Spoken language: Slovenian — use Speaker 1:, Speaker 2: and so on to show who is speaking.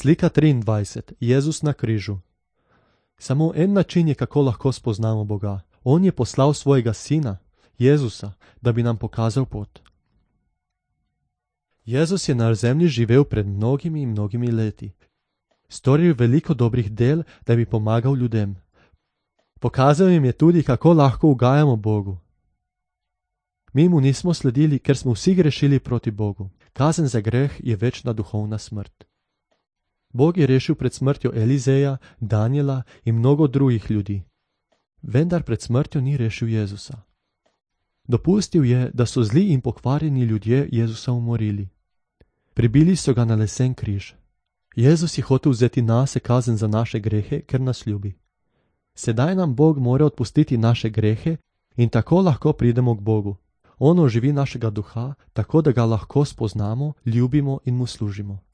Speaker 1: Slika 23. Jezus na križu. Samo en način je, kako lahko spoznamo Boga. On je poslal svojega sina, Jezusa, da bi nam pokazal pot. Jezus je na zemlji živel pred mnogimi in mnogimi leti. Storil veliko dobrih del, da bi pomagal ljudem. Pokazal jim je tudi, kako lahko ugajamo Bogu. Mi mu nismo sledili, ker smo vsi grešili proti Bogu. Kazen za greh je večna duhovna smrt. Bog je rešil pred smrtjo Elizeja, Danijela in mnogo drugih ljudi. Vendar pred smrtjo ni rešil Jezusa. Dopustil je, da so zli in pokvarjeni ljudje Jezusa umorili. Pribili so ga na lesen križ. Jezus je hotel vzeti nase kazen za naše grehe, ker nas ljubi. Sedaj nam Bog mora odpustiti naše grehe in tako lahko pridemo k Bogu. On oživi našega duha, tako da ga lahko spoznamo, ljubimo in mu služimo.